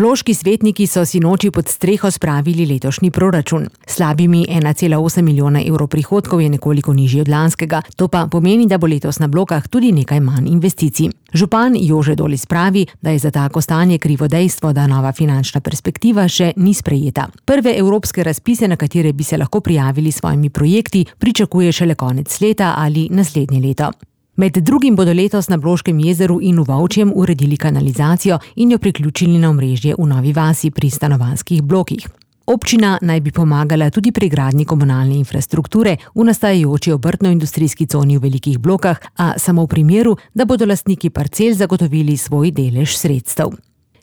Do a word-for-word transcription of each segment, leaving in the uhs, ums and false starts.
Bloški svetniki so sinoči pod streho spravili letošnji proračun. Slabimi ena cela osem milijona evrov prihodkov je nekoliko nižji od lanskega, to pa pomeni, da bo letos na Blokah tudi nekaj manj investicij. Župan Jože Dolis pravi, da je za tako stanje krivo dejstvo, da nova finančna perspektiva še ni sprejeta. Prve evropske razpise, na katere bi se lahko prijavili s svojimi projekti, pričakuje šele konec leta ali naslednje leto. Med drugim bodo letos na Bloškem jezeru in v Vovčjem uredili kanalizacijo in jo priključili na omrežje v Novi vasi pri stanovanjskih blokih. Občina naj bi pomagala tudi pri gradnji komunalne infrastrukture v nastajajoči obrtno-industrijski coni v velikih blokah, a samo v primeru, da bodo lastniki parcel zagotovili svoj delež sredstev.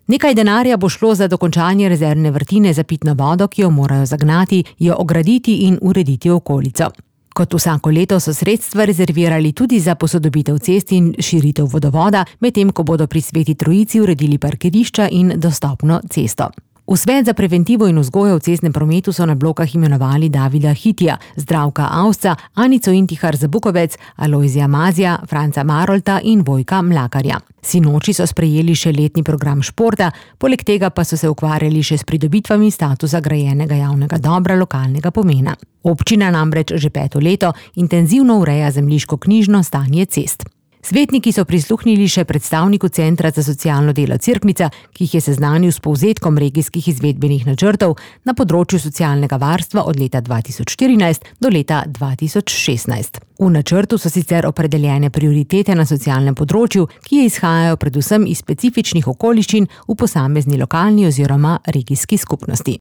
Nekaj denarja bo šlo za dokončanje rezervne vrtine za pitno vodo, ki jo morajo zagnati, jo ograditi in urediti okolico. Kot vsako leto so sredstva rezervirali tudi za posodobitev cest in širitev vodovoda, medtem ko bodo pri Sveti Trojici uredili parkirišča in dostopno cesto. V svet za preventivo in vzgojo v cestnem prometu so na Blokah imenovali Davida Hitija, Zdravka Avsca, Anico Intihar Zabukovec, Alojzija Mazija, Franca Marolta in Vojka Mlakarja. Sinoči so sprejeli še letni program športa, poleg tega pa so se ukvarjali še s pridobitvami statusa grajenega javnega dobra lokalnega pomena. Občina namreč že peto leto intenzivno ureja zemljiško-knjižno stanje cest. Svetniki so prisluhnili še predstavniku Centra za socialno delo Cerknica, ki jih je seznanil s povzetkom regijskih izvedbenih načrtov na področju socialnega varstva od leta dva tisoč štirinajst do leta dva tisoč šestnajst. V načrtu so sicer opredeljene prioritete na socialnem področju, ki izhajajo predvsem iz specifičnih okoliščin v posamezni lokalni oziroma regijski skupnosti.